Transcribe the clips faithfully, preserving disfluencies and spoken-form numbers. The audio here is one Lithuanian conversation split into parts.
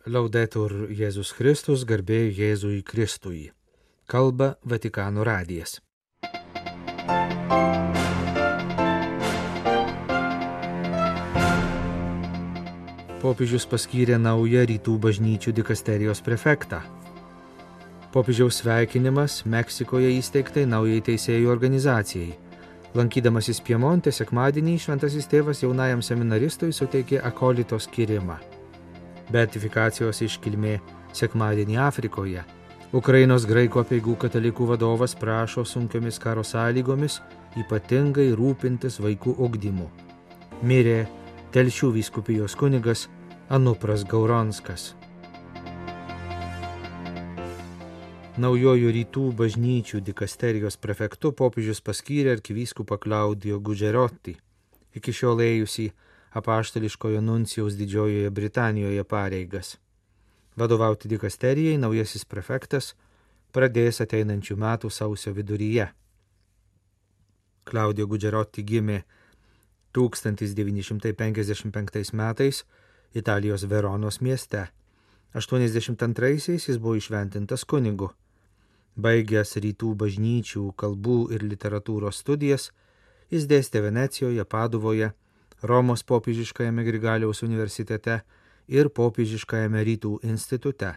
Laudetur Jėzus Kristus, garbė Jėzui Kristui. Kalba Vatikano radijas. Popiežius paskyrė naują rytų bažnyčių dikasterijos prefektą. Popiežiaus sveikinimas Meksikoje įsteigtai naujai teisėjų organizacijai. Lankydamasis Piemonte sekmadienį šventasis tėvas jaunajam seminaristui suteikė akolito skyrimą. Beatifikacijos iškilmė sekmadienį Afrikoje. Ukrainos graikų apeigų katalikų vadovas prašo sunkiomis karo sąlygomis ypatingai rūpintis vaikų ugdymu. Mirė Telšių vyskupijos kunigas Anupras Gauronskas. Naujojų rytų bažnyčių dikasterijos prefektu popiežius paskyrė arkivyskupą Claudio Gugerotti, iki šiol ėjusį apaštališkojo nuncijaus Didžiojoje Britanijoje pareigas. Vadovauti dikasterijai naujasis prefektas pradės ateinančių metų sausio viduryje. Claudio Gugerotti gimė tūkstantis devyni šimtai penkiasdešimt penktais metais Italijos Veronos mieste. aštuoniasdešimt antraisiais jis buvo įšventintas kunigu. Baigęs rytų bažnyčių kalbų ir literatūros studijas, jis dėstė Venecijoje, Paduvoje, Romos popiežiškajame Grigaliaus universitete ir popiežiškajame rytų institute.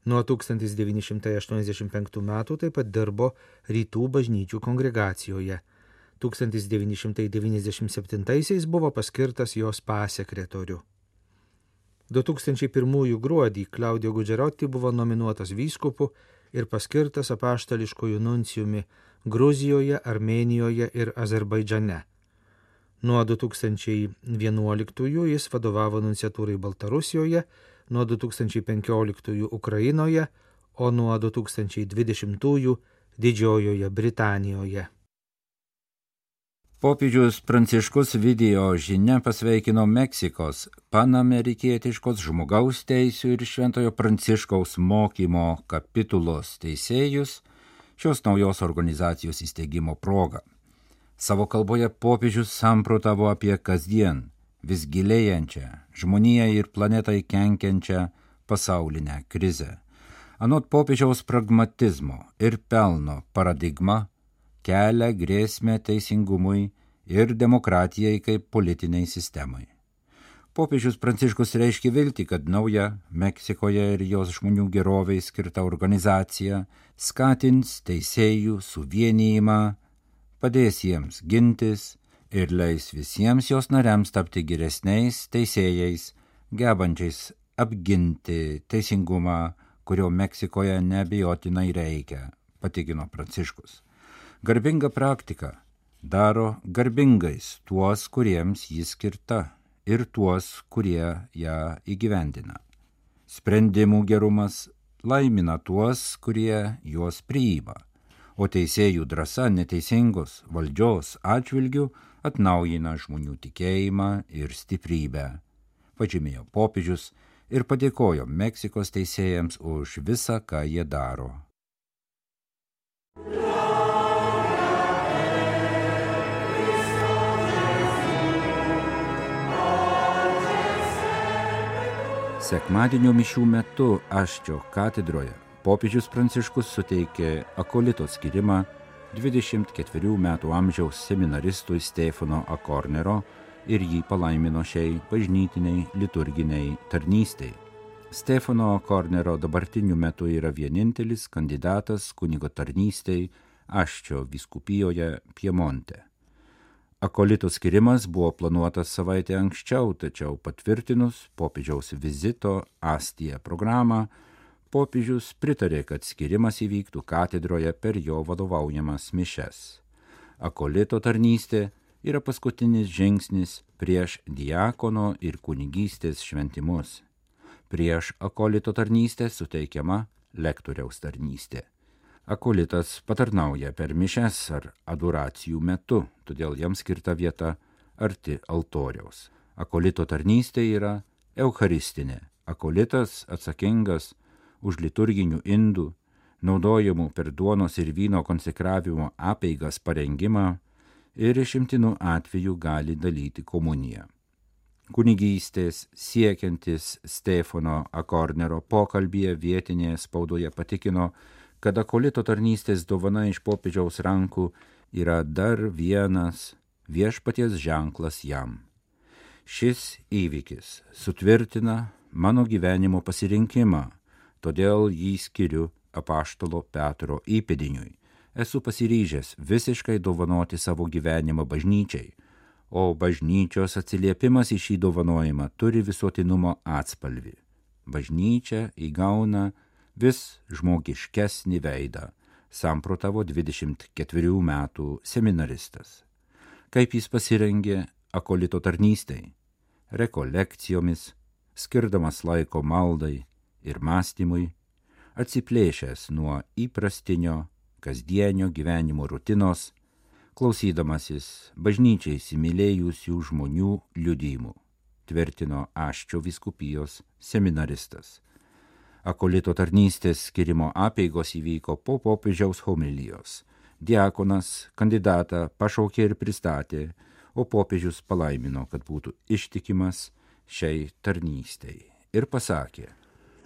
Nuo tūkstantis devyni šimtai aštuoniasdešimt penktų metų taip pat dirbo rytų bažnyčių kongregacijoje. tūkstantis devyni šimtai devyniasdešimt septintaisiais buvo paskirtas jos pasekretoriu. du tūkstančiai pirmųjų gruodį Claudio Gugerotti buvo nominuotas vyskupu ir paskirtas apaštališkojų nuncijumi Gruzijoje, Armėnijoje ir Azerbaidžane. Nuo du tūkstančiai vienuoliktųjų jis vadovavo nunciatūrai Baltarusijoje, nuo du tūkstančiai penkioliktųjų Ukrainoje, o nuo du tūkstančiai dvidešimtųjų Didžiojoje Britanijoje. Popiežius Pranciškus video žinia pasveikino Meksikos panamerikietiškos žmogaus teisių ir Šventojo Pranciškaus mokymo kapitulos teisėjus šios naujos organizacijos įsteigimo proga. Savo kalboje popiežius samprotavo apie kasdien vis gilėjančią, žmoniją ir planetai kenkiančią pasaulinę krizę. Anot popiežiaus pragmatizmo ir pelno paradigma kelia grėsmę teisingumui ir demokratijai kaip politiniai sistemai. Popiežius Pranciškus reiškia viltį, kad nauja Meksikoje ir jos žmonių geroviai skirta organizacija skatins teisėjų suvienijimą, padės jiems gintis ir leis visiems jos nariams tapti geresniais teisėjais, gebančiais apginti teisingumą, kurio Meksikoje neabejotinai reikia, patikino Pranciškus. Garbinga praktika daro garbingais tuos, kuriems jis skirta ir tuos, kurie ją įgyvendina. Sprendimų gerumas laimina tuos, kurie juos priima, o teisėjų drąsa neteisingos valdžios atžvilgių atnaujina žmonių tikėjimą ir stiprybę, pažymėjo popiežius ir padėkojo Meksikos teisėjams už visą, ką jie daro. Sekmadienio mišių metu Aščio katedroje popiežius Pranciškus suteikė akolito skyrimą dvidešimt ketverių metų amžiaus seminaristui Stefano Akornero ir jį palaimino šiai bažnytiniai liturginiai tarnystei. Stefano Akornero dabartiniu metu yra vienintelis kandidatas kunigo tarnystei Aščio vyskupijoje Piemonte. Akolito skirimas buvo planuotas savaitę anksčiau, tačiau patvirtinus popiežiaus vizito Astija programą, popiežius pritarė, kad skirimas įvyktų katedroje per jo vadovaujamas mišes. Akolito tarnystė yra paskutinis žingsnis prieš diakono ir kunigystės šventimus. Prieš akolito tarnystę suteikiama lektoriaus tarnystė. Akolitas patarnauja per mišes ar adoracijų metu, todėl jam skirta vieta arti altoriaus. Akolito tarnystė yra eucharistinė. Akolitas atsakingas už liturginių indų, naudojamų per duonos ir vyno konsekravimo apeigas parengimą ir išimtinų atvejų gali dalyti komuniją. kunigystės siekiantis Stefano Akornero pokalbyje vietinėje spaudoje patikino, kad akolito tarnystės dovana iš popiežiaus rankų yra dar vienas viešpaties ženklas jam. Šis įvykis sutvirtina mano gyvenimo pasirinkimą, todėl jį skiriu apaštalo Petro įpėdiniui. Esu pasiryžęs visiškai dovanoti savo gyvenimą bažnyčiai, o bažnyčios atsiliepimas į šį dovanojimą turi visuotinumo atspalvį. Bažnyčia įgauna vis žmogiškesnį veidą, samprotavo dvidešimt ketverių metų seminaristas. Kaip jis pasirengė akolito tarnystei? Rekolekcijomis, skirdamas laiko maldai ir mąstymui, atsiplėšęs nuo įprastinio kasdienio gyvenimo rutinos, klausydamasis bažnyčiai įsimylėjusių žmonių liudijimų, tvirtino Aščio vyskupijos seminaristas. Akolito tarnystės skirimo apeigos įvyko po popiežiaus homilijos. Diakonas kandidatą pašaukė ir pristatė, o popiežius palaimino, kad būtų ištikimas šiai tarnystei. Ir pasakė: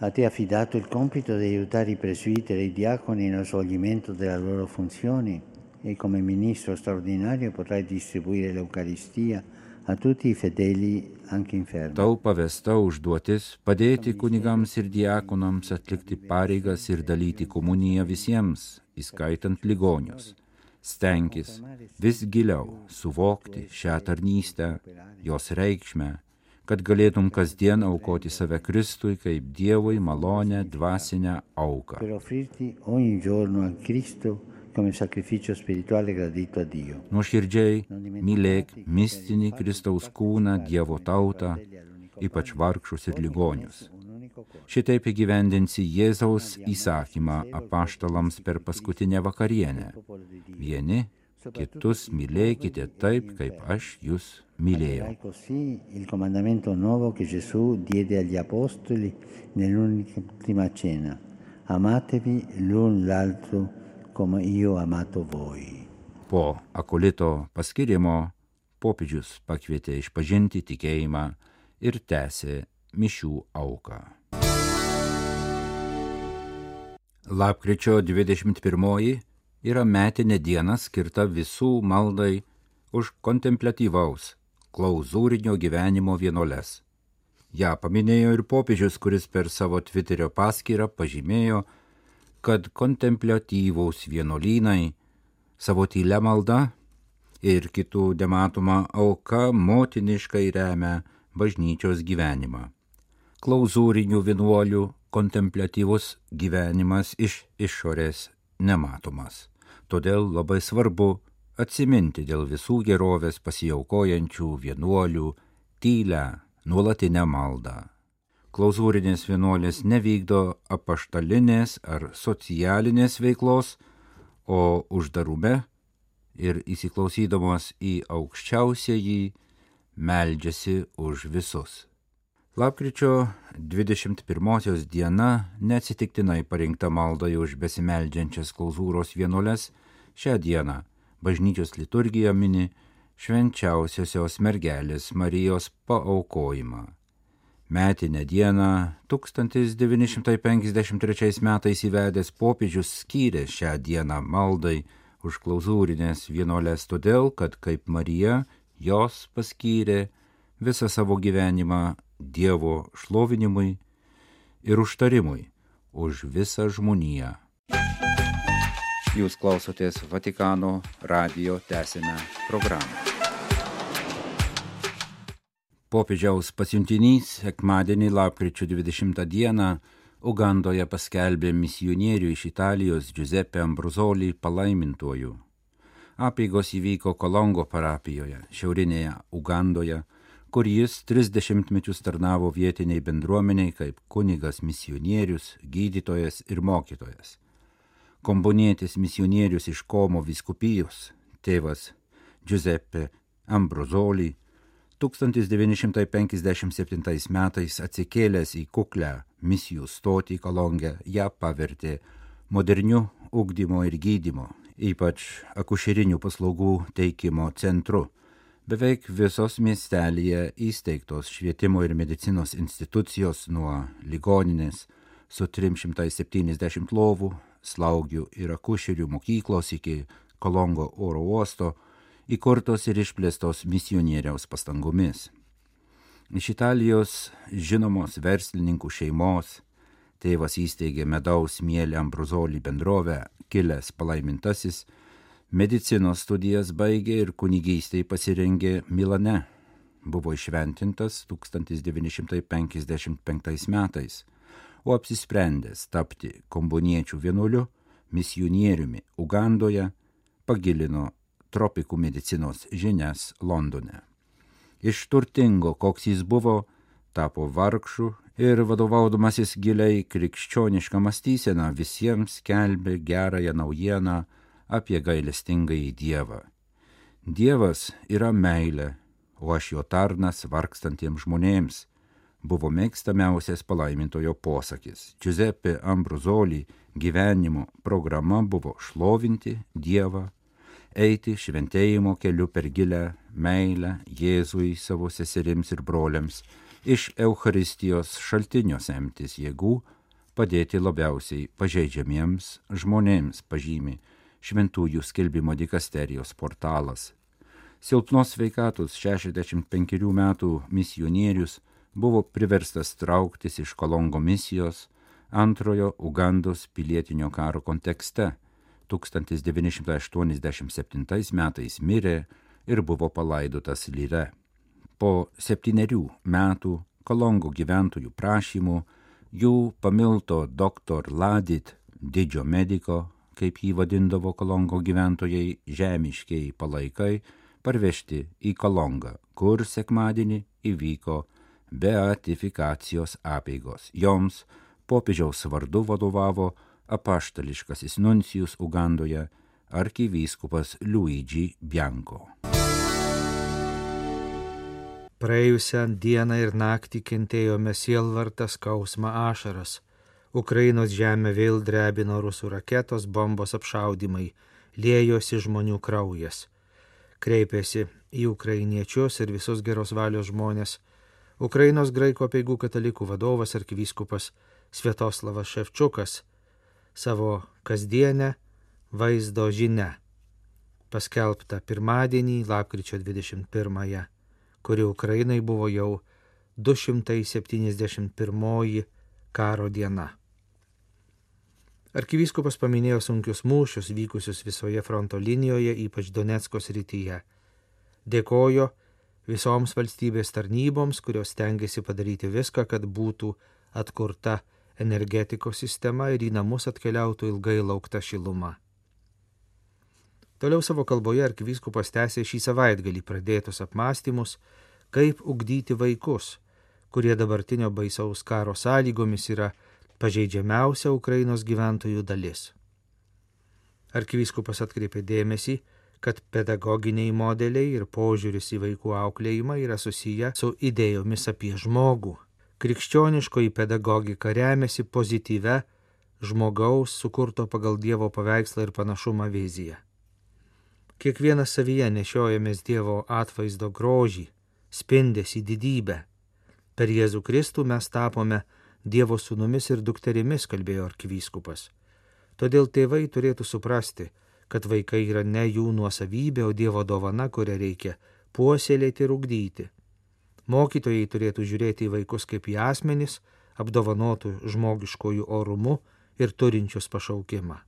A te affidato il compito di aiutare i presbiteri e i diaconi nello svolgimento delle loro funzioni e come ministro straordinario potrai distribuire l'Eucaristia a tutti i fedeli anche infermi. Tau pavesta užduotis padėti kunigams ir diakonams atlikti pareigas ir dalyti komuniją visiems, įskaitant ligonius. Stenkis vis giliau suvokti šią tarnystę, jos reikšmę, kad galėtum kasdien aukoti save Kristui kaip Dievui malonę dvasinę auką. Per offrirti ogni giorno a Cristo come sacrificio spirituale gradito a Dio. Nuoširdžiai mylėk mistinį Kristaus kūną, Dievo tautą, ypač vargšus ir ligonius. Šitaip įgyvendinsi Jėzaus įsakymą apaštalams per paskutinę vakarienę. Vieni kitus mylėkite taip, kaip aš jūs mylėjau. Così il comandamento nuovo che Gesù diede agli apostoli nell'ultima cena. Amatevi l'un l'altro come io ho amato voi. Po akolito paskirimo popiežius pakvietė išpažinti tikėjimą ir tęsė mišių auką. Lapkričio dvidešimt pirmoji yra metinė diena skirta visų maldai už kontempliatyvaus, klauzūrinio gyvenimo vienuoles. Ja paminėjo ir popiežius, kuris per savo Twitterio paskyrą pažymėjo, kad kontempliatyvaus vienuolynai savo tylia malda ir kitų nematoma auka motiniškai remia bažnyčios gyvenimą. Klauzūrinių vienuolių kontempliatyvus gyvenimas iš išorės nematomas. Todėl labai svarbu atsiminti dėl visų gerovės pasiaukojančių vienuolių tylę nuolatinę maldą. Klauzūrinės vienuolės nevykdo apaštalinės ar socialinės veiklos, o uždarume ir įsiklausydamos į aukščiausiąjį meldžiasi už visus. Lapkričio dvidešimt pirmosios diena neatsitiktinai parinkta maldai už besimeldžiančias klauzūros vienuoles. Šią dieną bažnyčios liturgija mini švenčiausiosios mergelės Marijos paaukojimą. Metinę dieną tūkstantis devyni šimtai penkiasdešimt trečiais metais įvedęs popiežius skyrė šią dieną maldai už klauzūrinės vienuoles todėl, kad kaip Marija jos paskyrė visą savo gyvenimą Dievo šlovinimui ir užtarimui už visą žmoniją. Jūs klausotės Vatikano radijo tęsinę programą. Popiežiaus pasiuntinys sekmadienį lapkričio dvidešimtą dieną Ugandoje paskelbė misionierių iš Italijos Giuseppe Ambrosoli palaimintuoju. Apeigos įvyko Kolongo parapijoje, šiaurinėje Ugandoje, kur jis trisdešimt metus tarnavo vietiniai bendruomeniai kaip kunigas misionierius, gydytojas ir mokytojas. Kombonietis misionierius iš Komo vyskupijos, tėvas Giuseppe Ambrosoli, tūkstantis devyni šimtai penkiasdešimt septintais metais atsikėlęs į kuklę misijų stotį Kolonge, ją pavertė moderniu ugdymo ir gydymo, ypač akušerinių paslaugų teikimo centru, Beveik visos miestelyje įsteigtos švietimo ir medicinos institucijos nuo ligoninės su trims šimtais septyniasdešimt lovų, slaugių ir akušerių mokyklos iki Kolongo oro uosto įkurtos ir išplėstos misionieriaus pastangomis. Iš Italijos žinomos verslininkų šeimos tėvas įsteigė medaus mielė Ambrozoli bendrovę, kilęs palaimintasis, medicinos studijas baigė ir kunigystei pasirengė Milane. Buvo išventintas tūkstantis devyni šimtai penkiasdešimt penktais metais, o apsisprendęs tapti komboniečių vienuoliu, misionieriumi Ugandoje, pagilino tropikų medicinos žinias Londone. Iš turtingo, koks jis buvo, tapo vargšu ir vadovaudamasis giliai krikščionišką mąstyseną visiems skelbė gerąją naujieną apie gailestingąjį Dievą. Dievas yra meilė, o aš jo tarnas vargstantiems žmonėms, buvo mėgstamiausias palaimintojo posakis. Giuseppe Ambrozoli gyvenimo programa buvo šlovinti Dievą, eiti šventėjimo keliu per gilę meilę Jėzui savo seserims ir broliams, iš Eucharistijos šaltinio semtis jėgų, padėti labiausiai pažeidžiamiems žmonėms, pažymi Šventųjų skelbimo dikasterijos portalas. Silpnos sveikatos šešiasdešimt penkerių metų misionierius buvo priverstas trauktis iš Kolongo misijos antrojo Ugandos pilietinio karo kontekste. tūkstantis devyni šimtai aštuoniasdešimt septintais metais mirė ir buvo palaidotas Lire. Po septynerių metų Kolongo gyventojų prašymų jų pamilto doktor Ladit, didžio mediko, kaip jį vadindavo Kolongo gyventojai, žemiškiai palaikai, parvežti į Kolongą, kur sekmadienį įvyko beatifikacijos apeigos. Joms popiežiaus vardu vadovavo apaštališkasis nuncijus Ugandoje arkivyskupas Luigi Bianco. Praėjusią dieną ir naktį kentėjome sielvartą, skausmą, ašaras. Ukrainos žemę vėl drebino rusų raketos, bombos apšaudymai, liejosi žmonių kraujas. Kreipėsi į ukrainiečius ir visus geros valios žmonės Ukrainos graikų apeigų katalikų vadovas arkivyskupas Sviatoslavas Ševčiukas savo kasdienę vaizdo žinią, paskelbtą pirmadienį, lapkričio dvidešimt pirmąją, kuri Ukrainai buvo jau du šimtai septyniasdešimt pirmoji karo diena. Arkivyskupas paminėjo sunkius mūšius vykusius visoje fronto linijoje, ypač Donecko srityje. Dėkojo visoms valstybės tarnyboms, kurios stengiasi padaryti viską, kad būtų atkurta energetikos sistema ir į namus atkeliautų ilgai laukta šiluma. Toliau savo kalboje arkivyskupas tęsė šį savaitgalį pradėtus apmąstymus, kaip ugdyti vaikus, kurie dabartinio baisaus karo sąlygomis yra pažeidžiamiausia Ukrainos gyventojų dalis. Arkivyskupas atkreipė dėmesį, kad pedagoginiai modeliai ir požiūris į vaikų auklėjimą yra susiję su idėjomis apie žmogų. Krikščioniškoji pedagogika remiasi pozityvia žmogaus sukurto pagal Dievo paveikslą ir panašumą viziją. Kiekvienas savyje nešiojamės Dievo atvaizdo grožį, spindesį didybę. Per Jėzų Kristų mes tapome Dievo sūnumis ir dukterimis, kalbėjo arkivyskupas. Todėl tėvai turėtų suprasti, kad vaikai yra ne jų nuosavybė, o Dievo dovana, kurią reikia puoselėti ir ugdyti. Mokytojai turėtų žiūrėti į vaikus kaip į asmenis, apdovanotų žmogiškojų orumu ir turinčius pašaukimą.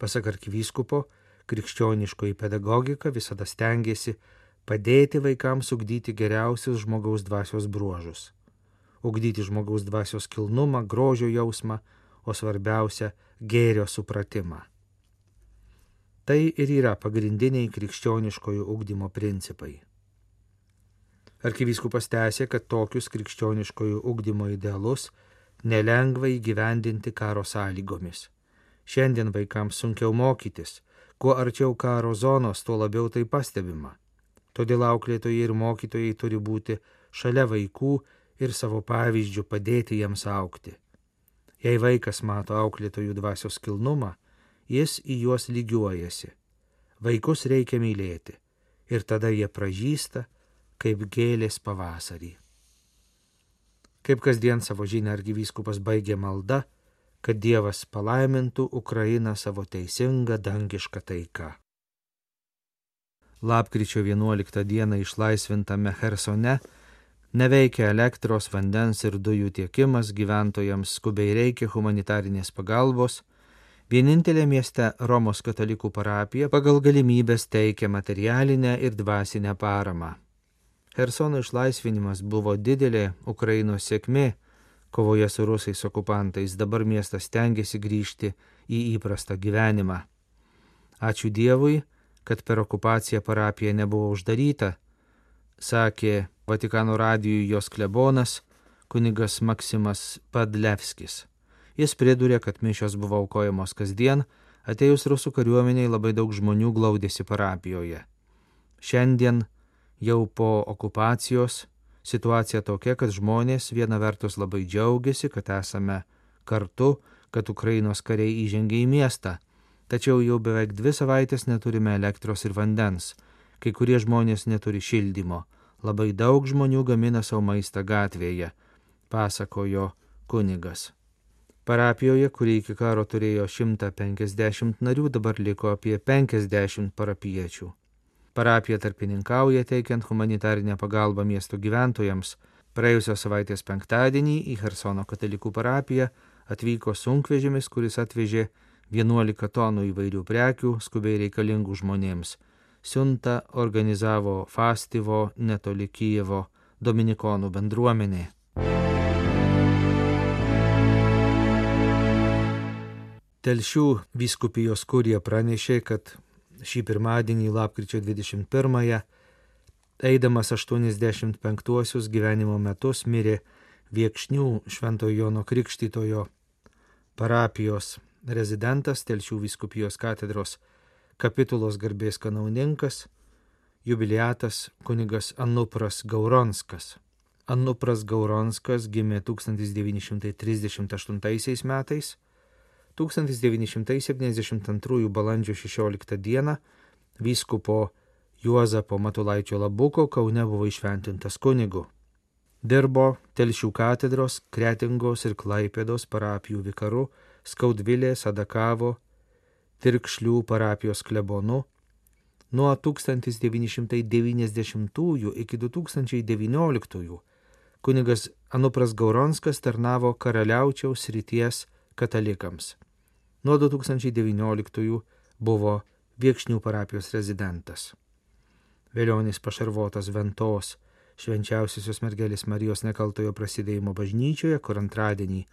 Pasak arkivyskupo, krikščioniškoji pedagogika visada stengiasi padėti vaikams ugdyti geriausius žmogaus dvasios bruožus. Ugdyti žmogaus dvasios kilnumą, grožio jausmą, o svarbiausia – gėrio supratimą. Tai ir yra pagrindiniai krikščioniškojo ugdymo principai. Arkivyskupas tęsė, kad tokius krikščioniškojo ugdymo idealus nelengva įgyvendinti karo sąlygomis. Šiandien vaikams sunkiau mokytis, kuo arčiau karo zonos, tuo labiau tai pastebima. Todėl auklėtojai ir mokytojai turi būti šalia vaikų ir savo pavyzdžių padėti jiems augti. Jei vaikas mato auklėtojų dvasios kilnumą, jis į juos lygiuojasi. Vaikus reikia mylėti. ir tada jie pražysta, kaip gėlės pavasarį. Kaip kasdien savo žinią arkivyskupas baigė malda, kad Dievas palaimintų Ukrainą savo teisingą dangišką taiką. Lapkričio vienuoliktą dieną išlaisvintame Chersone neveikia elektros, vandens ir dujų tiekimas, gyventojams skubiai reikia humanitarinės pagalbos. Vienintelė mieste Romos katalikų parapija pagal galimybės teikia materialinę ir dvasinę paramą. Chersono išlaisvinimas buvo didelė Ukrainos sėkmė kovoje su rusais okupantais. Dabar miestas stengiasi grįžti į įprastą gyvenimą. Ačiū Dievui, kad per okupaciją parapija nebuvo uždaryta, sakė Vatikano radijui jos klebonas kunigas Maksimas Padlevskis. Jis pridūrė, kad mišios buvo aukojamos kasdien, atėjus rusų kariuomeniai labai daug žmonių glaudėsi parapijoje. Šiandien jau po okupacijos situacija tokia, kad žmonės viena vertus labai džiaugiasi, kad esame kartu, kad Ukrainos kariai įžengė į miestą, tačiau jau beveik dvi savaitės neturime elektros ir vandens, kai kurie žmonės neturi šildymo, labai daug žmonių gamina savo maistą gatvėje, pasakojo kunigas. Parapijoje, kuri iki karo turėjo šimtą penkiasdešimt narių, dabar liko apie penkiasdešimt parapiečių. Parapija tarpininkauja teikiant humanitarinę pagalbą miesto gyventojams. Praėjusios savaitės penktadienį į Chersono katalikų parapiją atvyko sunkvežimis, kuris atvežė vienuolika tonų įvairių prekių skubiai reikalingų žmonėms. Siuntą organizavo Fastivo netoli Kijevo dominikonų bendruomenė. Telšių vyskupijos kurija pranešė, kad šį pirmadienį lapkričio dvidešimt pirmąją, eidamas aštuoniasdešimt penktuosius gyvenimo metus, mirė Viekšnių Šventojo Jono Krikštytojo parapijos rezidentas, Telšių vyskupijos katedros kapitulos garbės kanauninkas, jubiliatas kunigas Anupras Gauronskas. Anupras Gauronskas gimė tūkstantis devyni šimtai trisdešimt aštuntaisiais metais, tūkstantis devyni šimtai septyniasdešimt antrųjų balandžio šešioliktą dieną vyskupo Juozapo Matulaičio Labuko Kaune buvo įšventintas kunigu. Dirbo Telšių katedros, Kretingos ir Klaipėdos parapijų vikaru, Skaudvilės, Adakavo, Tirkšlių parapijos klebonu. Nuo tūkstantis devyni šimtai devyniasdešimtųjų iki du tūkstančiai devynioliktųjų kunigas Anupras Gauronskas tarnavo Karaliaučiaus srities katalikams. Nuo du tūkstančiai devynioliktųjų buvo Viekšnių parapijos rezidentas. Vėlionis pašarvotas Ventos Švenčiausiosios mergelės Marijos nekaltojo prasidėjimo bažnyčioje, kur antradienį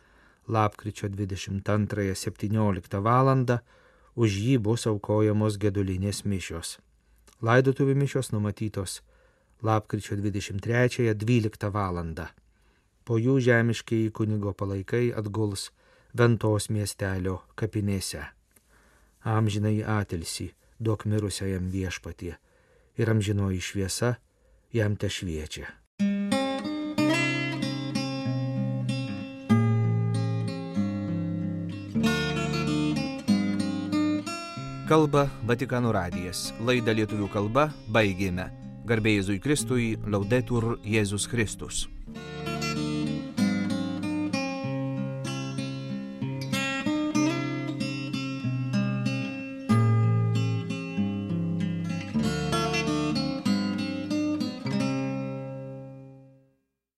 lapkričio dvidešimt antrąją septynioliktą valandą už jį bus aukojamos gedulinės mišios. Laidotuvių mišios numatytos lapkričio dvidešimt trečiąją dvyliktą valandą. Po jų žemiškieji kunigo palaikai atguls Ventos miestelio kapinėse. Amžinai atilsį duok mirusiajam Viešpatie ir amžinoji šviesa jam tešviečia. Kalba Vatikano radijas. Laidą lietuvių kalba baigėme. Garbė Jėzui Kristui, Laudetur Jėzus Kristus.